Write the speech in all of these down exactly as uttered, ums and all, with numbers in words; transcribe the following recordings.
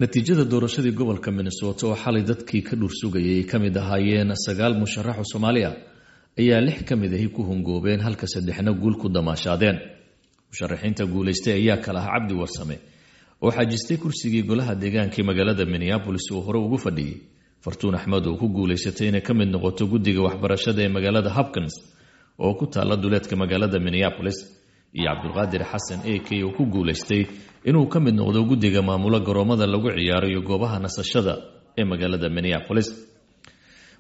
Natiijada doorashadii gobolka Minnesota oo xalay dadkii ka dhursugayay ay ka mid ahaayeen sagaal musharax oo Soomaali ah ayaa lix ka mid ahi ku hungoobeen, halka saddexna guul ku damaashaadeen. Musharaxiinta guulaystay ayaa kala ah Cabdi Warsame oo xajistay kursigii golaha deegaanka ee magaalada Minneapolis uu hore ugu fadhiyey, Fartuun Axmed oo ku guulaysatay inay ka mid noqoto guddiga waxbarashada ee magaalada Hopkins oo ku taalla duleedka magaalada Minneapolis, iyo Cabdulqaadir Xasan A K oo ku guulaystay inuu ka mid noqdo guddiga maamulo garoomada lagu ciyaaro iyo goobaha nasashada ee magaalada Minneapolis.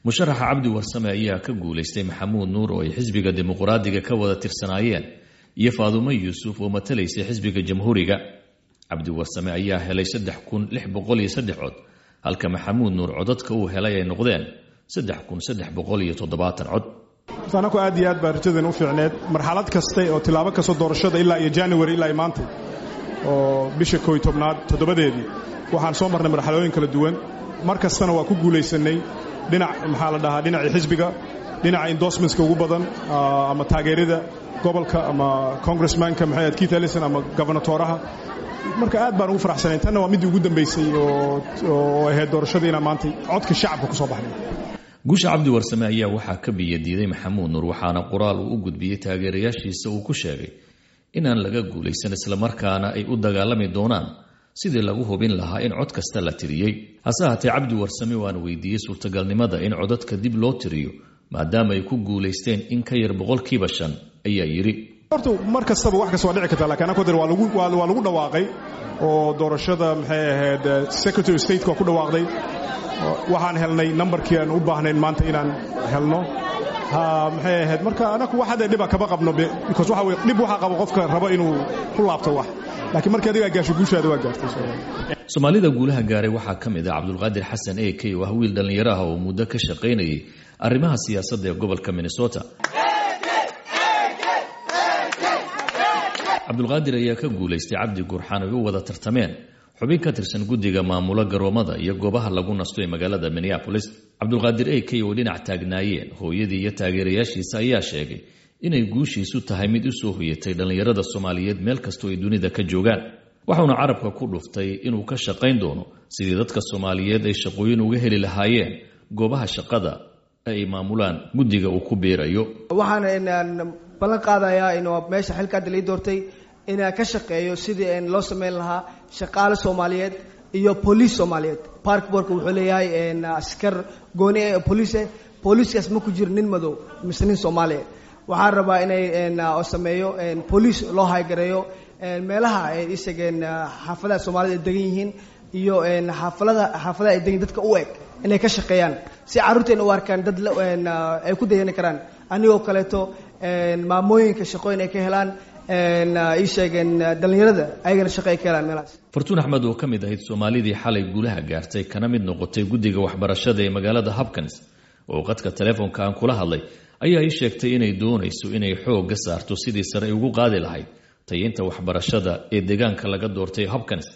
Musharaxa Cabdi Warsame ayaa ka guulaystay Maxamuud Nuur oo ay xisbiga Dimuqraadiga ka wada tirsanaayeen iyo Faadumo Yuusuf oo matalaysay xisbiga Jamhuuriga. Cabdi Warsame ayaa helay saddex kun lix boqol iyo saddex cod, halka Maxamuud Nuur codadka uu helay ay noqdeen saddex kun saddex boqol iyo toddobaatan cod. Anaku aad iyo aad baa rajadan u fiicneed marxalad kasta oo tilaabo kastoo doorashada ilaa iyo January ilaa iyo maanta oo bisha koow iyo tobnaad toddobadeedii waxaan soo marnay marxalooyin kala duwan. Mar kastana waa ku guulaysanay dhinac maxaa la dhahaa dhinacii xisbiga, dhinaca endorsementska ugu badan ama taageerida gobolka ama congressmanka maxay ahayd Keith Ellison ama gobernatoraha. Marka aad baan ugu faraxsanayn, tanna waa midii ugu dambaysay oo oo ahayd doorashadii inaan maanta codka shacabka ku soo baxnay. Guusha Cabdi Warsame ayaa waxaa ka biyadiiday Maxamuud Nuur, waxaana qoraal uu u gudbiyey taageerayaashiisa uu ku sheegay inaan laga guulaysan islamarkaana ay u dagaalami doonaan sidii lagu hubin lahaa in cod kasta la tiriyey. Hase ahaatee Cabdi Warsame waan weydiiyey suurtagalnimada in codadka dib loo tiriyo maadaama ay ku guulaysteen in ka yar boqolkiiba shan, ayaa yidhi: Horta mar kastaba wax kasta waa dhici kartaa, laakiin anaku waa lagu waa lagu dhawaaqay oo doorashada maxay ahayd Secretary of State waa ku dhawaaqday. Waxaan helnay nambarkii aan u baahnayn maanta inaan helno maxay ahayd. Marka anaku wax hadda dhiba kama qabno, because waxa weeye dhib waxa qabo qofka rabo inuu ku laabto wax, laakiin markii adiga gaasho guushaada waa gaartay. Soomaalida guulaha gaaray waxaa ka mid ah Cabdulqaadir Xasan A K oo ah wiil dhallinyaro ah oo muddo ka shaqaynayay arrimaha siyaasadda ee gobolka Minnesota. Cabdulqaadir ayaa ka guulaystay Cabdi Gurxaan ay u wada tartameen xubin ka tirsan guddiga maamulo garoomada iyo goobaha lagu nasto ee magaalada Minneapolis. Cabdulqaadir A K oo dhinac taagnaayeen hooyadii iyo taageerayaashiisa ayaa sheegay inay guushiisu tahay mid u soo hoyatay dhallinyarada Soomaaliyeed meel kastoo ay dunida ka joogaan. Waxauna carabka ku dhuftay inuu ka shaqayn doono sidii dadka Soomaaliyeed ay shaqooyin uga heli lahaayeen goobaha shaqada ay maamulaan guddiga uu ku biirayo. Waxaan ballan qaadayaa inuu meesha xilka hadda lii doortay inaan ka shaqeeyo sidii loo sameyn lahaa shaqaale Soomaaliyeed iyo booliis Soomaaliyeed. Park boardka wuxuu leeyahay askar gooni eh booliis eh, booliiskaas ma ku jiro nin madow mise nin Soomaaliyeed. Waxaan rabaa inay sameeyo booliis loo haygareeyo meelaha ay isageen xaafadaha Soomaalida ay degan yihiin iyo xaafalada xaafadaha ay degan dadka u eg inay ka shaqeeyaan si carruurteena u arkaan dad ay ku dayani karaan. Anigoo kaleeto maamooyinka shaqooyin ay ka helaan, ii sheegeen dhallinyarada ayagana shaqo ay ka helaan meelahaas. Fartuun Axmed oo ka mid ahayd Soomaalidii xalay guulaha gaartay kana mid noqotay guddiga waxbarashada ee magaalada Hopkins oo qadka telefoonka aan kula hadlay ayaa ii sheegtay inay doonayso inay xoogga saarto sidii sare ay ugu qaadi lahayd tayinta waxbarashada ee deegaanka laga doortay Hopkins,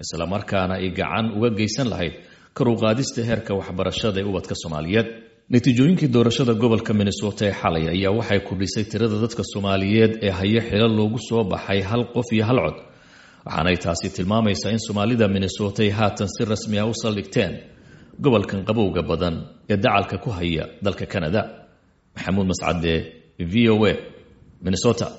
islamarkaana ay gacan uga geysan lahayd kor u qaadista heerka waxbarashada ee ubadka Soomaaliyeed. Natiijooyinkii doorashada gobolka Minnesota ee xalay ayaa waxay kordhisay tirada dadka Soomaaliyeed ee haya xilal loogu soo baxay hal qof iyo hal cod, waxaanay taasi tilmaamaysaa in Soomaalida Minnesota ay haatan si rasmi ah u saldhigteen gobolkan qabowga badan ee dacalka ku haya dalka Canada. Maxamuud Mascade, V O A, Minnesota.